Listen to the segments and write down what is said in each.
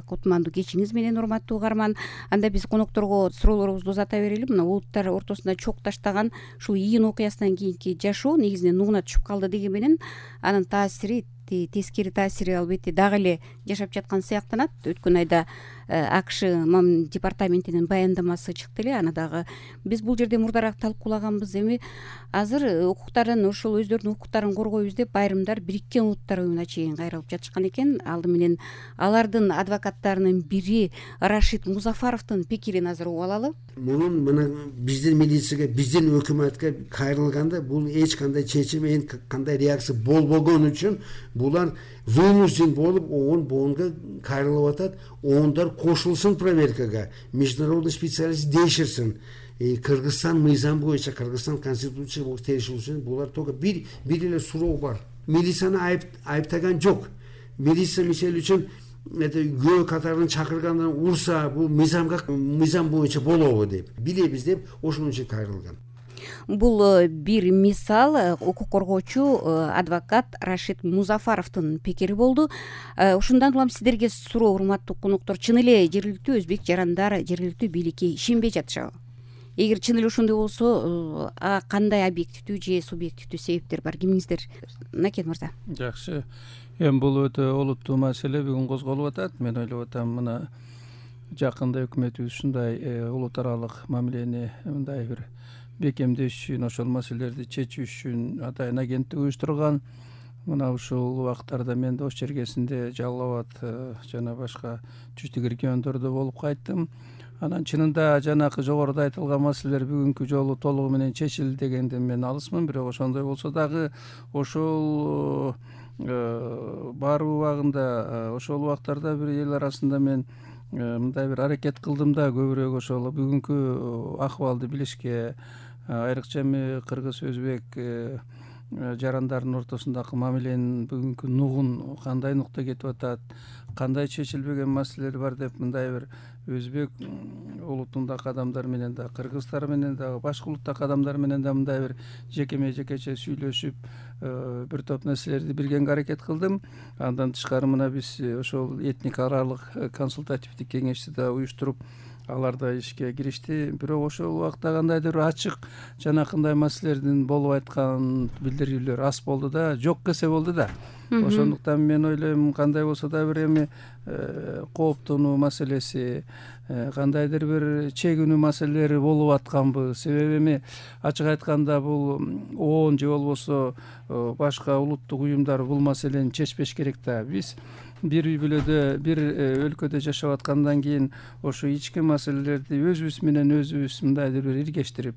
кутмандуу кечиңиз менен, урматтуу угарман. Анда биз конокторго суроолорубузду узата берели. Мына улуттар ортосунда чок таштаган ушул июнь окуясынан кийинки жашоо негизинен нугуна түшүп калды деген менен анын таасири, тескери таасири албетте дагы эле жашап жаткан сыяктанат. Өткөн айда АКШ департаментинин баяндамасы чыкты эле, аны дагы биз бул жерде мурдараак талкуулаганбыз. Эми азыр укуктарын, ошол өздөрүнүн укуктарын коргойбуз деп айрымдар Бириккен Улуттар уюмуна чейин кайрылып жатышкан экен. Алды менен алардын адвокаттарынын бири Рашид Музафаровдун пикирин азыр угуп алалы. Мунун мына биздин милицияга, биздин өкмөткө кайрылганда бул эч кандай чечим, кандай реакция болбогон үчүн булар вынужден болуп ООН кайрылып атат. ООНдар кошулсын проверкага, международный специалист дейширсин. Кыргызстан мыйзам боюнча, Кыргызстан конституция боюнча териштирүүчүн булар только бир эле суроо бар. Милицияны айыптаган жок. Милиция мисалы үчүн күбө катарын чакыргандан урса, бул мыйзам боюнча болобу деп билебиз деп ошон үчүн кайрылган. Бул бир мисал укук коргоочу адвокат Рашид Музафаровдун пикири болду. Ушундан улам сиздерге суроо, урматтуу коноктор, чын эле жергиликтүү өзбек жарандар жергиликтүү бийликке ишенбей жатышабы? Эгер чын эле ошондой болсо, кандай объективдүү же субъективдүү себептер бар? Кимиңиздер? Накен мырза. Жакшы. Эми бул өтө олуттуу маселе бүгүн козголуп атат. Мен ойлоп атам, мына жакында өкмөтүбүз ушундай улут аралык мамилени мындай бир бекемдеш үчүн, ошол маселелерди чечүү үчүн атайын агенттик уюштурган. Мына ушул убактарда мен да Ош жергесинде, Жалал абад жана башка түштүк региондордо болуп кайттым. Анан чынында жанакы жогоруда айтылган маселелер бүгүнкү жолу толугу менен чечилди дегенден мен алысмын. Бирок ошондой болсо дагы ошол бар убагында, ошол убактарда бир эл арасында мен мындай бир аракет кылдым да, көбүрөөк ошол бүгүнкү акыбалды билишке, айрыкча эми кыргыз өзбек жарандардын ортосундагы мамиленин бүгүнкү нугун кандай нукта кетип атат, кандай чечилбеген маселелер бар деп мындай бир өзбек улутундагы адамдар менен да, кыргыздар менен да, башка улуттагы адамдар менен да мындай бир жекече сүйлөшүп бир топ нерселерди билгенге аракет кылдым. Андан тышкары мына биз ошол этник аралык консультативдик кеңешти да уюштуруп, алар да ишке киришти. Бирок ошол убакта кандайдыр бир ачык жанакындай маселелердин болуп айткан билдирүүлөр аз болду да, жок кесе болду да. Ошондуктан мен ойлойм, кандай болсо да бир эми кооптонуу маселеси, кандайдыр бир чегинүү маселелери болуп атканбы. Себеби эми ачык айтканда бул ООН же болбосо башка улуттук уюмдар бул маселени чечпеш керек да. Биз бир үй бүлөдө, бир өлкөдө жашап аткандан кийин ошо ички маселелерди өзүбүз менен өзүбүз мындайдыр бир иргештирип,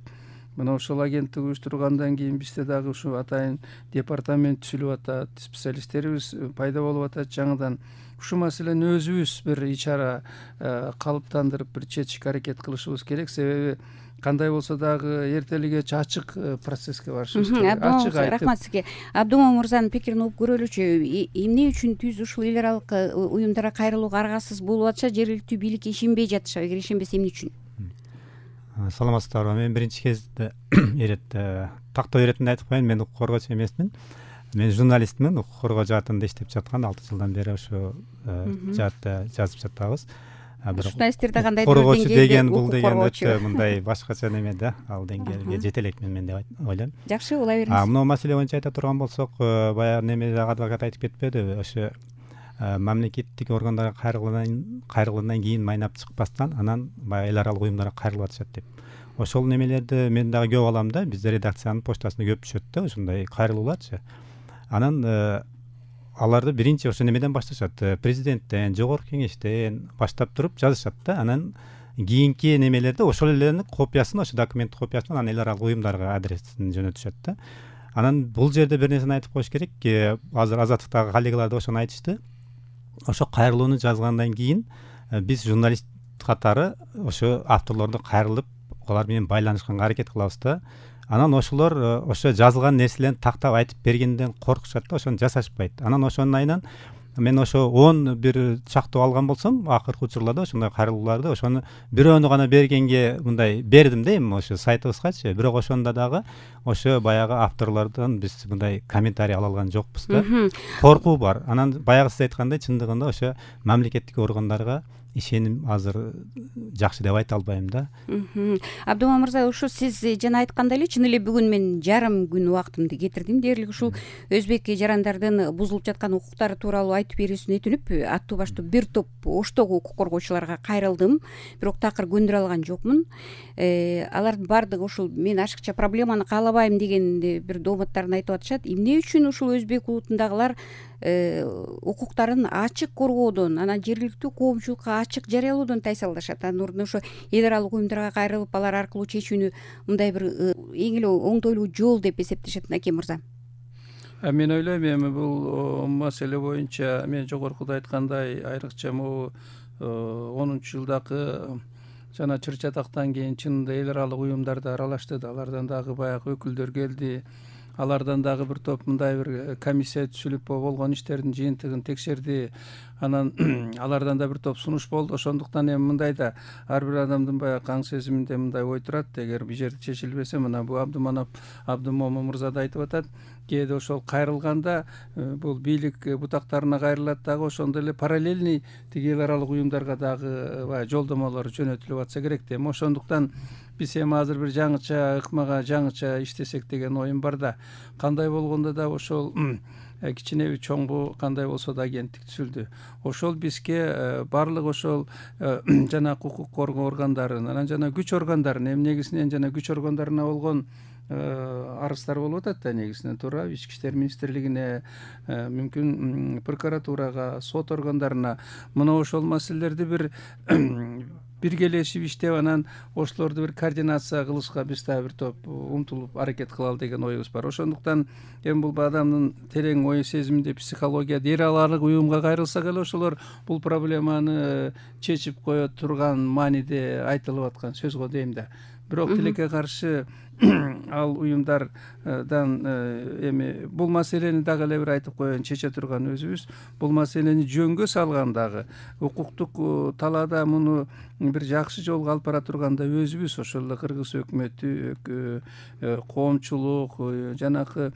мына ошол агенттик уюштургандан кийин бизде дагы ушу атайын департамент түзүлүп атат, специалисттерибиз пайда болуп атат жаңыдан. Ушу маселени өзүбүз бир ичара калыптандырып бир чечишке аракет кылышыбыз керек. Себеби кандай болсо дагы эртелигечи ачык процесске барышыбыз керек. Ачык айтып. Рахмат сизге. Абдумомун мырзанын пикирин угуп көрөлүчү. Эмне үчүн түз ушул эл аралык уюмдарга кайрылууга аргасыз болуп атышат? Жергиликтүү бийликке ишенбей жатышабы? Эгер ишенбесе эмне үчүн? Саламатсыздарбы. Мен биринчи кезде тактоо иретинде айтып коеюн, мен укук коргоочу эмесмин. Мен журналистмин, укук коргоо жаатында иштеп жаткан 6 жылдан бери ошо жаатта жазып жатабыз. Журналисттерде кандай коргоочу деген бул деген өтө мындай башкача неме да, ал деңгээлге жете элекмин мен деп ойлойм. Жакшы, ула бериңиз. Мына маселе боюнча айта турган болсок, баягы неме адвокат айтып кетпедиби? Ошо мамлекеттик органдарга кайрылгандан кийин майнап чыкпастан анан баягы эл аралык уюмдарга кайрылып атышат деп. Ошол немелерди мен дагы көп алам да, бизде редакциянын почтасында көп түшөт да ушундай кайрылууларчы. Анан аларды биринчи ошо немеден башташат, президенттен, жогорку кеңештен баштап туруп жазышат да. Анан кийинки немелерди ошол элердин копиясын, ошо документ копиясын анан эл аралык уюмдарга адресин жөнөтүшөт да. Анан бул жерде бир нерсени айтып коюш керек. Азыр Азаттыктагы коллегалар да ошону айтышты. Ошо кайрылууну жазгандан кийин биз журналист катары ошо авторлорду кайрылып, алар менен байланышканга аракет кылабыз да. Анан ошолор ошо жазылган нерселерин тактап айтып бергенден коркушат да, ошону жасашпайт. Анан ошонун айынан мен ошо 11 чактоо алган болсом акыркы учурларда ошондой кайрылууларды ошону бирөөнү гана бергенге мындай бердим да эми ошо сайтыбызгачы. Бирок ошондо дагы ошо баягы авторлордон биз мындай комментарий ала алган жокпуз да. Коркуу бар. Анан баягы сиз айткандай чындыгында ошо мамлекеттик органдарга ишеним азыр жакшы деп айта албайм да. Абдуман мырза, ушу сиз жана айткандай эле чын эле бүгүн мен жарым күн убактымды кетирдим дээрлик ушул өзбек жарандардын бузулуп жаткан укуктары тууралуу айтып берүүсүнө өтүнүп, аттуу баштуу бир топ оштогу укук коргоочуларга кайрылдым, бирок такыр көндүрө алган жокмун. Алардын баардыгы ушул мен ашыкча проблеманы каалабайм деген бир дооматтарын айтып атышат. Эмне үчүн ушул өзбек улутундагылар укуктарын ачык коргоодон, анан жергиликтүү коомчулукка ачык жарыялоодон тайсалдашат? Анын ордуна ошо эл аралык уюмдарга кайрылып, алар аркылуу чечүүнү мындай бир эң эле оңтойлуу жол деп эсептешет. Накем мырза. Мен ойлойм эми бул маселе боюнча мен жогоркуда айткандай айрыкча могу 10-жылдагы жана чыр чатактан кийин чынында эл аралык уюмдарда аралашты да, алардан дагы баягы өкүлдөр келди. Алардан дагы бир топ мындай бир комиссия түзүлүп болгон иштердин жыйынтыгын текшерди. Анан алардан да бир топ сунуш болду. Ошондуктан эми мындай да ар бир адамдын баягы аң сезиминде мындай ой турат. Эгер бул жерде чечилбесе, мына бул Абдумомун мырза да айтып атат, кээде ошол кайрылганда бул бийлик бутактарына кайрылат дагы ошондой эле параллельный тиги эл аралык уюмдарга дагы баягы жолдомолор жөнөтүлүп атса керек да. Ошондуктан биз эми азыр бир жаңыча ыкмага жаңыча иштесек деген оюм бар да. Кандай болгондо да ошол кичинеби чоңбу кандай болсо да агенттик түзүлдү. Ошол бизге баардык ошол жанагы укук коргоо органдарын, анан жана күч органдарын, эми негизинен жана күч органдарына болгон арыздар болуп атат да, негизинен туура Ички иштер министрлигине, мүмкүн прокуратурага, сот органдарына мына ошол маселелерди биргелешип иштеп, анан ошолорду бир координация кылышка биз дагы бир топ умтулуп аракет кылалы деген оюбуз бар. Ошондуктан эми бул адамдын терең ой сезиминде, психологияда эл аралык уюмга кайрылсак эле ошолор бул проблеманы чечип кое турган мааниде айтылып аткан сөз го дейм да. Бирок тилекке каршы ал уюмдардан эми бул маселени дагы эле бир айтып коеюн, чече турган өзүбүз. Бул маселени жөнгө салгандагы укуктук талаада муну бир жакшы жолго алып бара турганда өзүбүз, ошол эле кыргыз өкмөтү, коомчулук, жанагы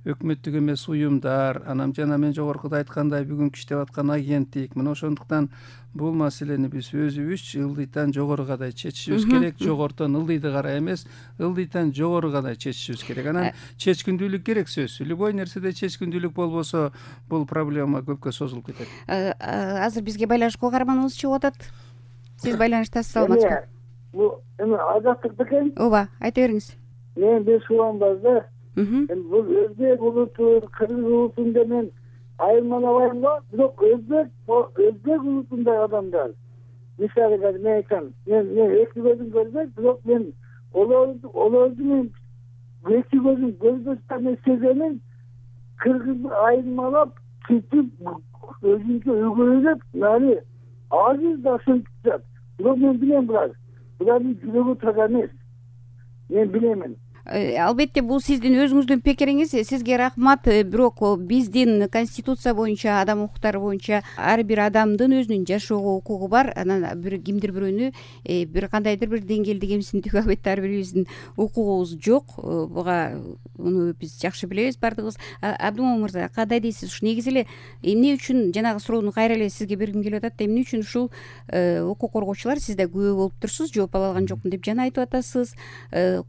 өкмөттүк эмес уюмдар, анан жана мен жогоркуда айткандай бүгүнкү иштеп аткан агенттик. Мына ошондуктан бул маселени биз өзүбүз ылдыйтан жогору чечишибиз керек. Жогортон ылдыйды карай эмес, ылдыйтан жогору чечишибиз керек. Анан чечкиндүүлүк керек сөзсүз. Любой нерседе чечкиндүүлүк болбосо бул проблема көпкө созулуп кетет. Азыр бизге байланышка каарманыбыз чыгып атат. Сиз байланыштасыз, саламатсызбы? Бул эми азаттык бекен. Ооба, айта бериңиз. Мен бир суам бар да. Бул өзбек улуту, кыргыз улутунда мен айырмалабайм го, бирок өзбек улутундагы адамдар. Мисалы мен айтсам, мен эки көзүм көрбөйт, бирок мен олорду мен эки көзүм көрбөстөн сеземин, кыргызды айырмалап, кетип, өзүнчө өгөйлөп, нани азыр да ошентип. Бирок мен билем булардын жүрөгү таза эмес. Мен билемин. Албетте бул сиздин өзүңүздүн пикириңиз, сизге рахмат. Бирок биздин конституция боюнча, адам укуктары боюнча ар бир адамдын өзүнүн жашоого укугу бар. Анан кимдир бирөөнү бир кандайдыр бир деңгээлде кемсинтүүгө албетте ар бирибиздин укугубуз жок. Буга муну биз жакшы билебиз баардыгыбыз. Абдумомун мырза, кандай дейсиз? Ушу негизи эле эмне үчүн жанагы суроону кайра эле сизге бергим келип атат. Эмне үчүн ушул укук коргоочулар, сиз да күбө болуп турсуз, жооп ала алган жокмун деп жана айтып атасыз.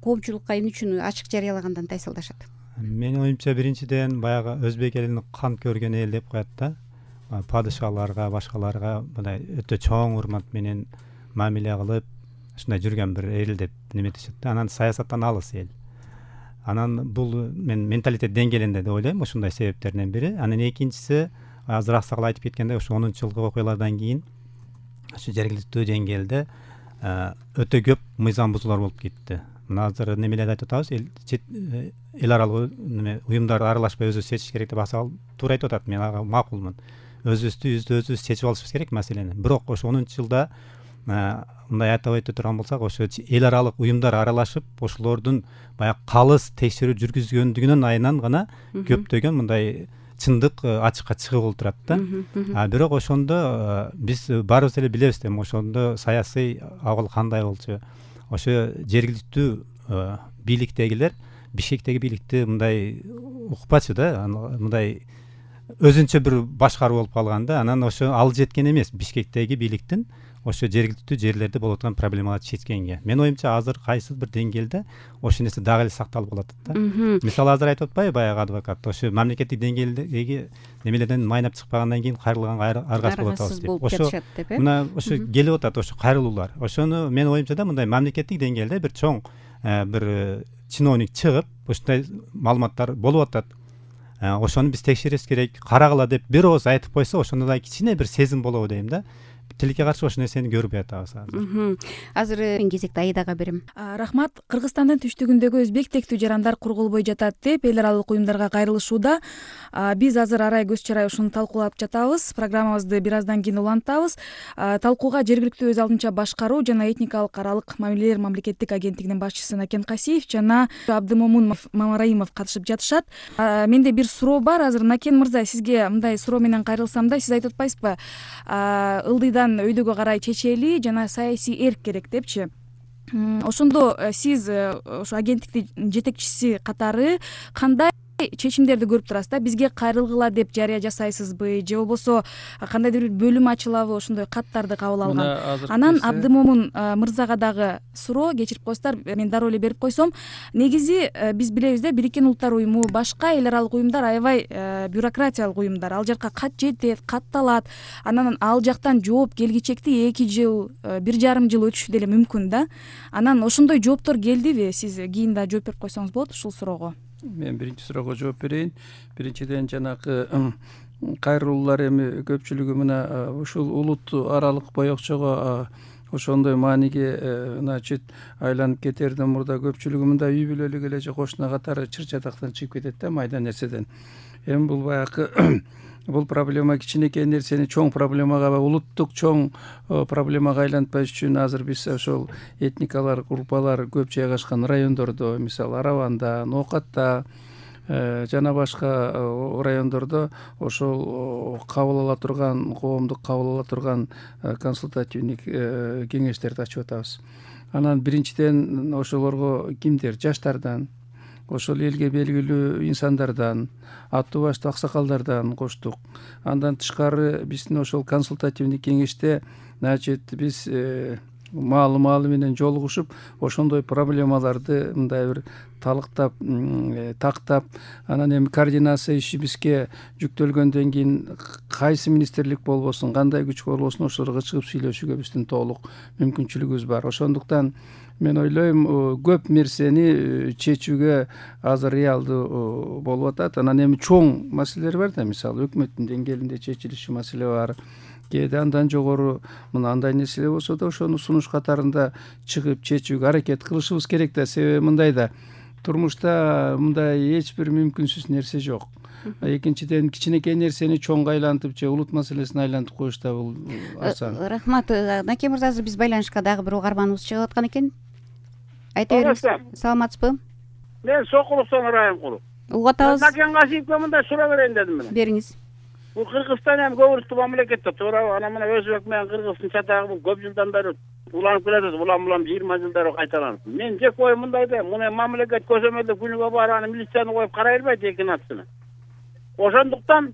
Коомчулукка эмне үчүн ачык жарыялагандан тайсалдашат? Менин оюмча биринчиден баягы өзбек элин кан көргөн эл деп коет да. Падышаларга, башкаларга мындай өтө чоң урмат менен мамиле кылып, ушундай жүргөн бир эл деп неметишет да. Анан саясаттан алыс эл. Анан бул мен менталитет деңгээлинде деп ойлойм, ушундай себептерден бири. Анан экинчиси, азыраак сагыл айтып кеткендей, ошо 10-жылкы окуялардан кийин ушу жергиликтүү деңгээлде өтө көп мыйзам бузуулар болуп кетти. Мына азыр немелерди айтып атабыз, эл аралык уюмдар аралашпай өзүбүз чечиш керек деп асал туура айтып атат. Мен ага макулмун. Өзүбүз чечип алышыбыз керек маселени. Бирок ошо 10-жылда мындай атап айта турган болсак, ошо эл аралык уюмдар аралашып, ошолордун баягы калыс текшерүү жүргүзгөндүгүнүн айынан гана көптөгөн мындай чындык ачыкка чыгып олтурат да. Бирок ошондо биз баарыбыз эле билебиз да, ошондо саясий абал кандай болчу. Ошо жергиликтүү бийликтегилер Бишкектеги бийликти мындай укпачу да, мындай өзүнчө бир башкаруу болуп калган да. Анан ошо ал жеткен эмес Бишкектеги бийликтин ошо жергиликтүү жерлерде болуп аткан проблемаларды чечкенге. Менин оюмча азыр кайсы бир деңгээлде ошол нерсе дагы эле сакталып калат да. Мисалы азыр айтып атпайбы баягы адвокат, ошо мамлекеттик деңгээлдеги немелерден майнап чыкпагандан кийин кайрылганга аргасыз болуп атабыз деп. Ошо мына ошо келип атат ошо кайрылуулар. Ошону менин оюмча да мындай мамлекеттик деңгээлде бир чоң бир чиновник чыгып ушундай маалыматтар болуп атат. Ошону биз текшериш керек, карагыла деп бир ооз айтып койсо, ошондо да кичине бир сезим болобу дейм да. Тилекке каршы ошол нерсени көрбөй атабыз азыр. Азыр мен кезекти Айдага берем. Рахмат. Кыргызстандын түштүгүндөгү өзбек тектүү жарандар курголбой жатат деп эл аралык уюмдарга кайрылышууда. Биз азыр арай көз чарай ушуну талкуулап жатабыз. Программабызды бир аздан кийин улантабыз. Талкууга жергиликтүү өз алдынча башкаруу жана этникалык аралык мамилелер мамлекеттик агенттигинин башчысы Накен Касиев жана Абдымомун Мамараимов катышып жатышат. Менде бир суроо бар. Азыр Накен мырза, сизге мындай суроо менен кайрылсам да, сиз айтып атпайсызбы? Ылдыйдан өйдөгө карай чечели жана саясий эрк керек депчи. Ошондо сиз ошо агенттиктин жетекчиси катары кандай чечимдерди көрүп турасыз да? Бизге кайрылгыла деп жарыя жасайсызбы же болбосо кандайдыр бир бөлүм ачылабы ошондой каттарды кабыл алган? Анан Абдымомун мырзага дагы суроо, кечирип коесуздар, мен дароо эле берип койсом. Негизи биз билебиз да, Бириккен Улуттар уюму башка эл аралык уюмдар аябай бюрократиялык уюмдар. Ал жака кат жетет, катталат. Анан ал жактан жооп келгичекти 2 жыл, 1,5 жыл өтүшү деле мүмкүн да. Анан ошондой жооптор келдиби? Сиз кийин да жооп берип койсоңуз болот ушул суроого. Мен биринчи суроого жооп берейин. Биринчиден жанагы кайрылуулар эми көпчүлүгү мына ушул улут аралык боекчого ошондой мааниге значит айланып кетерден мурда көпчүлүгү мындай үй бүлөлүк эле же кошуна катары чыр чатактан чыгып кетет да, майда нерседен. Эми бул баягы бул проблема кичинекей нерсени чоң проблемага, улуттук чоң проблемага айлантпаш үчүн азыр биз ошол этникалар, группалар көп жайгашкан райондордо, мисалы Араванда, Ноокатта жана башка райондордо ошол кабыл ала турган, коомдук кабыл ала турган консультативдик кеңештерди ачып атабыз. Анан биринчиден ошолорго кимдер? Жаштардан, ошол элге белгилүү инсандардан, аттуу баштуу аксакалдардан коштук. Андан тышкары биздин ошол консультативдик кеңеште значит биз маалы менен жолугушуп ошондой проблемаларды мындай бир талыктап, тактап, анан эми координация иши бизге жүктөлгөндөн кийин кайсы министрлик болбосун, кандай күч болбосун ошолорго чыгып сүйлөшүүгө биздин толук мүмкүнчүлүгүбүз бар. Ошондуктан мен ойлойм көп нерсени чечүүгө азыр реалдуу болуп атат. Анан эми чоң маселелер бар да, мисалы өкмөттүн деңгээлинде чечилиши маселе бар. Кээде андан жогору мына андай нерселер болсо да ошону сунуш катарында чыгып чечүүгө аракет кылышыбыз керек да. Себеби мындай да, турмушта мындай эч бир мүмкүнсүз нерсе жок. Экинчиден кичинекей нерсени чоңго айлантып же улут маселесин айлантып коюш да бул асан. Рахмат. Накен мырза, азыр биз байланышка дагы бир угарманыбыз чыгып аткан экен. Айта бериңиз. Саламатсызбы? Мен Сокуловдон Райымкулов. Угуп атабыз. Накен Касиевке мындай суроо берейин дедим мен. Бериңиз. Бул Кыргызстан эми көп улуттуу мамлекет да, туура. Анан мына өзбек менен Кыргыздын чатагы бул көп жылдан бери уланып келатат. Улам 20 жылдар кайталанып. Men жеке оюм мындай да, мына мамлекет көзөмөлдө күнүгө барып аны милицияны коюп карай бербейт эки нацияны. Ошондуктан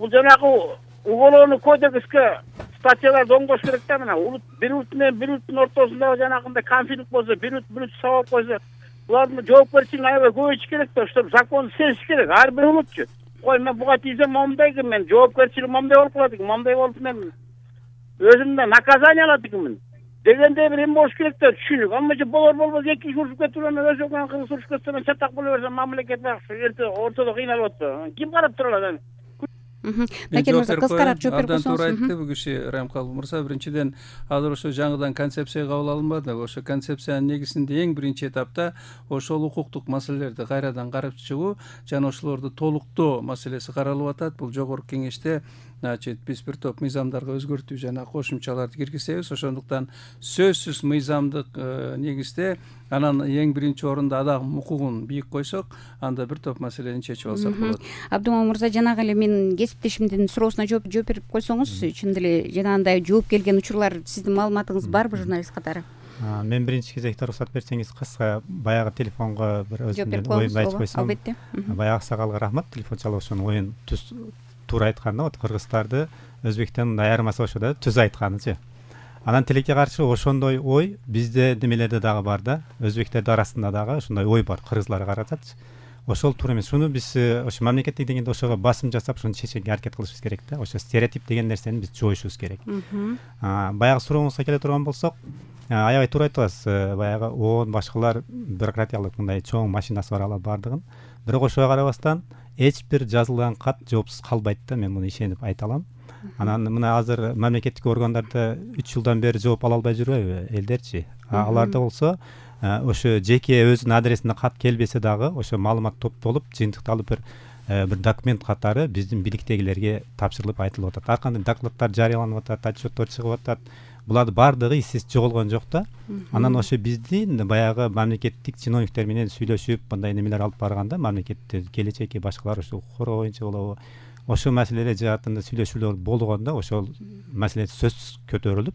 бул жанагы уголовный кодекске статьяларды оңдош керек да. Мына бир улут менен бир улуттун ортосундагы жанагындай конфликт болсо, бир улут сабап койсо, булардын жоопкерчилигин аябай көбөйтүш керек да. Ошто законду сезиш керек ар бир улутчу. Ой, мен буга тийсем момундай экен, мен жоопкерчилигим момундай болуп калат экен, момундай болуп мен өзүмдөн наказание алат экенмин дегендей бир эме болуш керек да, түшүнүк. Ама же болор-болбос эки киши урушуп кетип мен өзү менен кыргыз урушуп кетсе мен чатак боло берсем мамлекет эрте ортодо кыйналып атпайбы? Ким карап тура алат? Накен мырза, кыскараак жооп берип койсоңуз. Абдан койсоңуз. туура айтты бул киши Райымкулов мырза. Биринчиден азыр ошо жаңыдан концепция кабыл алынбады. Ошо концепциянын негизинде эң биринчи этапта ошол укуктук маселелерди кайрадан карап чыгуу жана ошолорду толуктоо маселеси каралып атат. Бул жогорку кеңеште значит биз бир топ мыйзамдарга өзгөртүү жана кошумчаларды киргизебиз. Ошондуктан сөзсүз мыйзамдык негизде анан эң биринчи орунда адам укугун бийик койсок, анда бир топ маселени чечип алсак болот. Абдумомун мырза, жанагы эле менин кесиптешимдин суроосуна жооп берип койсоңуз, чын деле жанагындай жооп келген учурлар сиздин маалыматыңыз барбы журналист катары? Мен биринчи кезекте уруксат берсеңиз кыска баягы телефонго бир өзүмдүн оюмду айтып койсом. Албетте. Баягы аксагалга рахмат, телефон чалып ошонун оюн туура айтканда, вот кыргыздарды өзбектен мындай айырмасы ошо да түз айтканычы. Анан тилекке каршы ошондой ой бизде немелерде дагы бар да, өзбектердин арасында дагы ошондой ой бар кыргызларга каратачы. Ошол туура эмес. Шуну биз ошо мамлекеттик деңгээлде ошого басым жасап, шуну чечүүгө аракет кылышыбыз керек да. Ошо стереотип деген нерсени биз жоюшубуз керек. Баягы сурооңузга келе турган болсок, аябай туура айтасыз. Баягы ООН башкалар бюрократиялык мындай чоң машинасы бар алар бардыгын. Бирок ошого карабастан эч бир жазылган кат жоопсуз калбайт да, мен муну ишенип айта алам. Анан мына азыр мамлекеттик органдарда 3 жылдан бери жооп ала албай жүрбөйбү элдерчи? Аларда болсо ошо жеке өзүнүн адресине кат келбесе дагы ошо маалымат топтолуп, жыйынтыкталып бир документ катары биздин бийликтегилерге тапшырылып айтылып атат. Ар кандай докладдар жарыяланып атат, отчеттор чыгып атат. Булардын баардыгы иссиз жоголгон жок да. Анан ошо биздин баягы мамлекеттик чиновниктер менен сүйлөшүп, мындай немелер алып барганда, мамлекетте келечекке башкалар ошо укук боюнча болобу, ошо маселелер жаатында сүйлөшүүлөр болгондо ошол маселе сөз көтөрүлүп,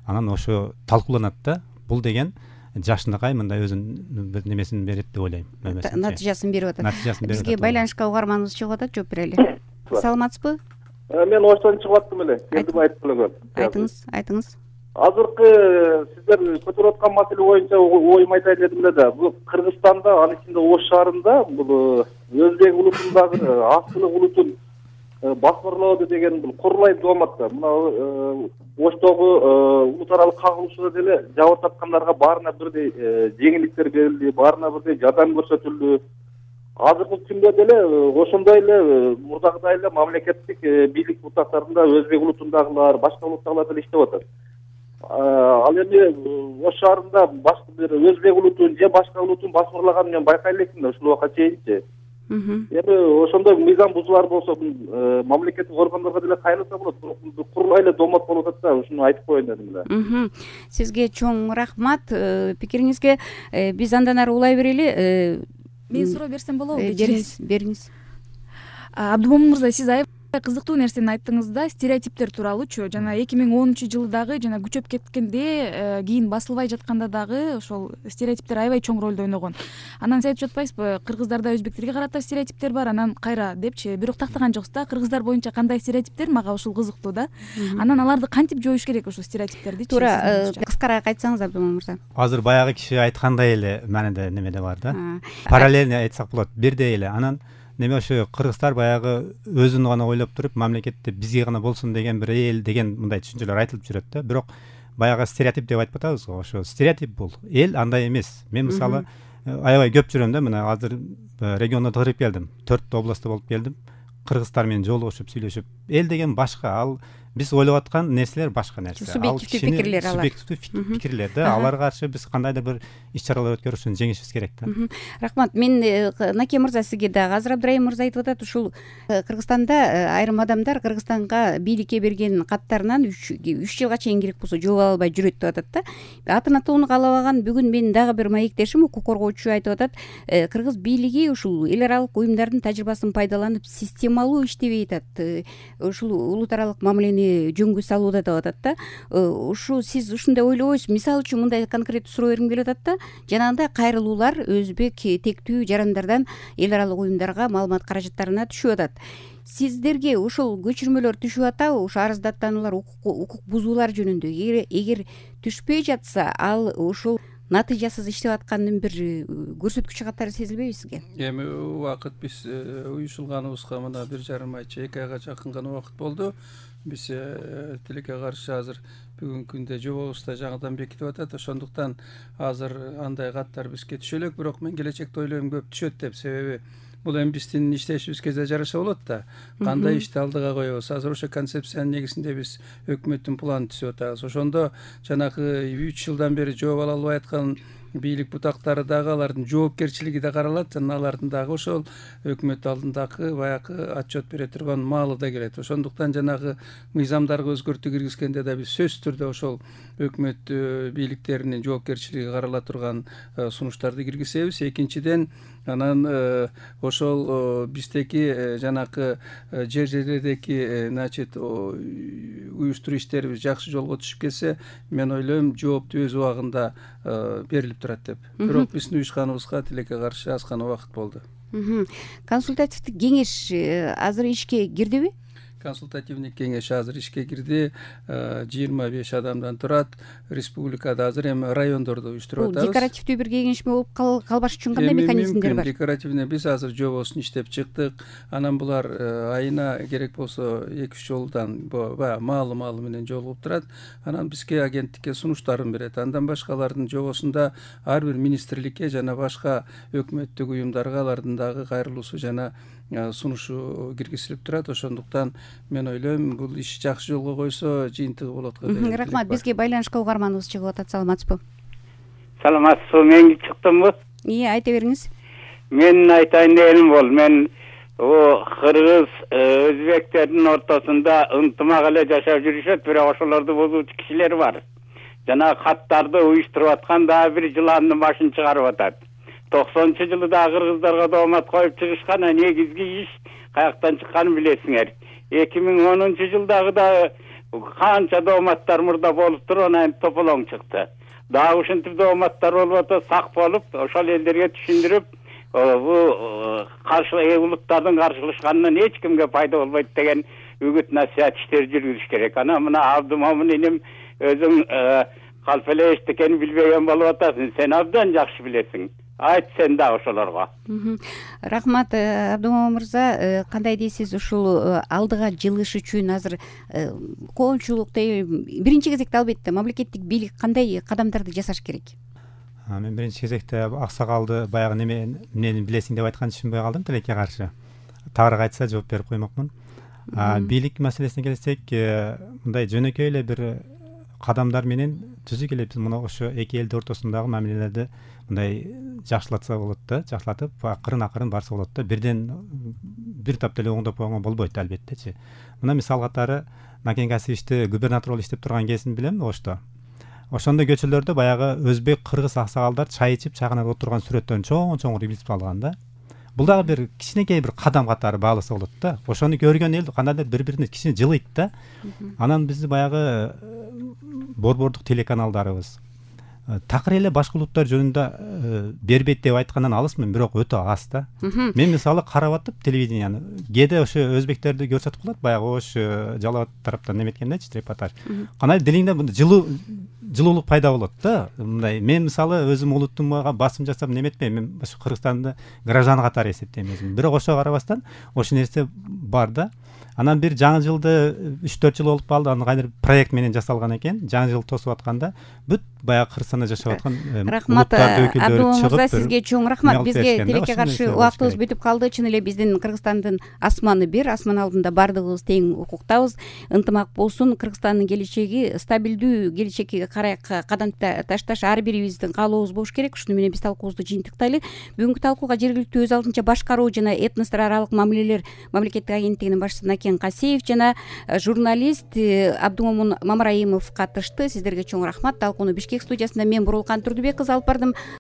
анан ошо талкууланат да. Бул деген жашынакай мындай өзүнүн бир немесин берет деп ойлойм. Натыйжасын берип атат. Бизге байланышка угарманыбыз чыгып атат, жооп берели. Саламатсызбы? Мен оштон чыгып аттым эле. Келдим айтып эле. Айтыңыз. Азыркы сиздер көтөрүп аткан маселе боюнча оюм айтайын дедим эле да. Бул Кыргызстанда, анын ичинде Ош шаарында бул өзбек улутундагы аскылык улутун басмырлоодо деген бул курулайт болмакта. Мына Оштогу улут аралык кагылышууда деле жабыр тапкандарга баарына бирдей жеңилдиктер берилди, баарына бирдей жардам көрсөтүлдү. Азыркы күндө деле ошондой эле мурдагыдай эле мамлекеттик бийлик бутактарында өзбек улутундагылар, башка улуттагылар деле иштеп атат. Ал эми Ош шаарында башка бир өзбек улутун же башка улутун басмырлаганын мен байкай электим да ушул убакка чейинчи. Эми ошондой мыйзам бузуулар болсо мамлекеттик органдарга деле кайрылса болот. Курулай эле домот болуп атат да, ушуну айтып коеюн дедим эле. Сизге чоң рахмат пикириңизге. Биз андан ары улай берели. Мен суроо берсем болобу? Бериңиз. Абдумомун мырза, сиз аябай кызыктуу нерсени айттыңыз да, стереотиптер тууралуучу. Жана 2010-жылы дагы жана күчөп кеткенде, кийин басылбай жатканда дагы ошол стереотиптер аябай чоң ролду ойногон. Анан сиз айтып жатпайсызбы, кыргыздарда өзбектерге карата стереотиптер бар, анан кайра депчи. Бирок тактаган жоксуз да, кыргыздар боюнча кандай стереотиптер, мага ушул кызыктуу да. Анан аларды кантип жоюш керек ушул стереотиптерди? Туура, кыскараак айтсаңыз Абдумомун мырза. Азыр баягы киши айткандай эле мааниде немеде бар да. Параллельно айтсак болот, бирдей эле. Анан неме ошо кыргыздар баягы өзүн гана ойлоп туруп, мамлекетте бизге гана болсун деген бир эл деген мындай түшүнчөлөр айтылып жүрөт да. Бирок баягы стереотип деп айтып атабыз го, ошо стереотип бул. Эл андай эмес. Мен мисалы аябай көп жүрөм да, мына азыр региондо кирип келдим. 4 областта болуп келдим. Кыргыздар менен жолугушуп, сүйлөшүп. Эл деген башка, ал биз ойлоп аткан нерселер башка нерсе. Субъективдүү пикирлер алар. Субъективдүү пикирлер да. Аларга каршы биз кандайдыр бир иш-чаралар өткөрүшүн жеңишибиз керек да. Рахмат. Мен Наке мырза сизге дагы азыр Абдрайым мырза айтып атат, ушул Кыргызстанда айрым адамдар Кыргызстанга бийликке берген каттарынан 3 жылга чейин керек болсо жооп ала албай жүрөт деп атат да. Атын атоону каалабаган бүгүн менин дагы бир маектешим, укук коргоочу айтып атат, кыргыз бийлиги ушул эл аралык уюмдардын тажрыйбасын пайдаланып системалуу иштебей атат. Ушул улут аралык мамилени жөнгө салууда деп атат да. Ушу сиз ушундай ойлобойсузбу? Мисалы үчүн мындай конкреттүү суроо бергим келип атат да. Жанагындай кайрылуулар өзбек тектүү жарандардан эл аралык уюмдарга маалымат каражаттарына түшүп атат. Сиздерге ушул көчүрмөлөр түшүп атабы? Ушу арыздаттануулар, укук бузуулар жөнүндө эгер түшпөй жатса, ал ушул натыйжасыз иштеп аткандын бир көрсөткүчү катары сезилбейби сизге? Эми убакыт биз уюшулганыбызга мына 1,5 айча 2 айга жакын гана убакыт болду. Биз тилекке каршы азыр бүгүнкү күндө жобобузда жаңыдан бекитип атат. Ошондуктан азыр андай каттар бизге түшө элек, бирок мен келечекте ойлойм көп түшөт деп. Себеби бул эми биздин иштешибизге да жараша болот да. Кандай ишти алдыга коебуз? Азыр ошо концепциянын негизинде биз өкмөттүн планын түзүп атабыз. Ошондо жанагы 3 жылдан бери жооп ала албай аткан бийлик бутактары дагы алардын жоопкерчилиги да каралат жана алардын дагы ошол өкмөт алдындагы баягы отчет бере турган маалы да келет. Ошондуктан жанагы мыйзамдарга өзгөртүү киргизгенде да биз сөзсүз түрдө ошол өкмөт бийликтеринин жоопкерчилиги карала турган сунуштарды киргизебиз. Экинчиден анан ошол биздеги жанакы жер жерлердеги значит уюштуруу иштерибиз жакшы жолго түшүп кетсе, мен ойлойм жоопту өз убагында берилип турат деп. Бирок биздин уюшканыбызга тилекке каршы аз гана убакыт болду. Консультативдик кеңеш азыр ишке кирдиби? Консультативный кеңеш азыр ишке кирди. 25 адамдан турат. Республикада азыр эми райондордо уюштуруп атабыз. Декоративдүү бир кеңешме болуп калбаш үчүн кандай механизмдер бар? Декоративный биз азыр жобосун иштеп чыктык. Анан булар айына керек болсо 2-3 жолдан баягы маалы менен жолугуп турат. Анан бизге агенттикке сунуштарын берет. Андан башкалардын жобосунда ар бир министрликке жана башка өкмөттүк уюмдарга алардын дагы кайрылуусу жана сунушу киргизилип турат. Ошондуктан мен ойлойм бул иш жакшы жолго койсо жыйынтыгы болот го деп. Рахмат. Бизге байланышка угарманыбыз чыгып атат. Саламатсызбы? Саламатсызбы? Мен чыктымбы? Айта бериңиз. Мен айтайын дегеним бол, мен кыргыз өзбектердин ортосунда ынтымак эле жашап жүрүшөт, бирок ошолорду бузуучу кишилер бар. Жана каттарды уюштуруп аткан дагы бир жыландын башын чыгарып атат. 90-жылы да кыргыздарга доомат коюп чыгышкан, негизги иш каяктан чыкканын билесиңер. 2010-жылдагы да канча дооматтар мурда болуп туруп, анан тополоң чыкты. Дагы ушинтип дооматтар болуп атат, сак болуп, ошол элдерге түшүндүрүп, бул каршы улуттардын каршылашканынан эч кимге пайда болбойт деген үгүт насаат иштер жүргүзүш керек. Анан мына Абдымомун иним өзүң калп эле эчтекени билбеген болуп атасың. Сен абдан жакшы билесиң. Айт сен да ошолорго. Рахмат, Абдымомун мырза, кандай дейсиз ушул алдыга жылыш үчүн азыр коомчулук биринчи кезекте албетте мамлекеттик бийлик кандай кадамдарды жасаш керек? Мен биринчи кезекте аксакалды баягы эмнени билесиң деп айтканды түшүнбөй калдым, тилекке каршы. Тагыраак айтса жооп берип коймокмун. Бийлик маселесине келсек, мындай жөнөкөй эле бир кадамдар менен түзүк эле биз мына ошо эки элдин ортосундагы мамилелерди мындай жакшылатса болот да, жакшылатып акырын барса болот да. Бирден бир таптап эле оңдоп койгонго болбойт албеттечи. Мына мисал катары Накен Касиевичти губернатор болуп иштеп турган кезин билем Ошто. Ошондо көчөлөрдө баягы өзбек, кыргыз аксакалдар чай ичип, чайханада отурган сүрөттөрүн чоң илип алган да. Бул дагы бир кичинекей бир кадам катары бааласа болот да. Ошону көргөн эл кандайдыр бири-бирине кичине жылыйт да. Анан бизди баягы борбордук телеканалдарыбыз такыр эле башка улуттар жөнүндө бербейт деп айткандан алысмын, бирок өтө аз да. Мен мисалы карап атып телевиденияны, кээде ошо өзбектерди көрсөтүп калат, баягы ош Жалал тараптан неметкендечи репортаж. Кандай дилиңде жылуулук пайда болот да. Мындай мен мисалы өзүм улуттумга басым жасап неметпейм, мен ошо Кыргызстанды граждан катары эсептейм өзүм. Бирок ошого карабастан ошол нерсе бар да. Анан бир жаңы жылды 3-4 жыл болуп калды, анан кайдыр проект менен жасалган экен. Жаңы жыл тосуп атканда бүт баягы Кыргызстанда жашап аткан улуттардын өкүлдөрү чыгып, сизге чоң рахмат. Бизге тилекке каршы убактыбыз бүтүп калды. Чын эле биздин Кыргызстандын асманы бир, асман алдында бардыгыбыз тең укуктабыз. Ынтымак болсун, Кыргызстандын келечеги стабилдүү келечекке карай кадам ташташ ар бирибиздин каалообуз болуш керек. Ушуну менен биз талкуубузду жыйынтыктайлы. Бүгүнкү талкууга жергиликтүү өз алдынча башкаруу жана этностор аралык мамилелер мамлекеттик агенттигинин башчысы Накен Касиев жана журналист Абдымомун Мамраимов катышты. Сиздерге чоң рахмат. Талкууну Бишкек студиясында мен Бурулкан Турдубек кызы алып бардым.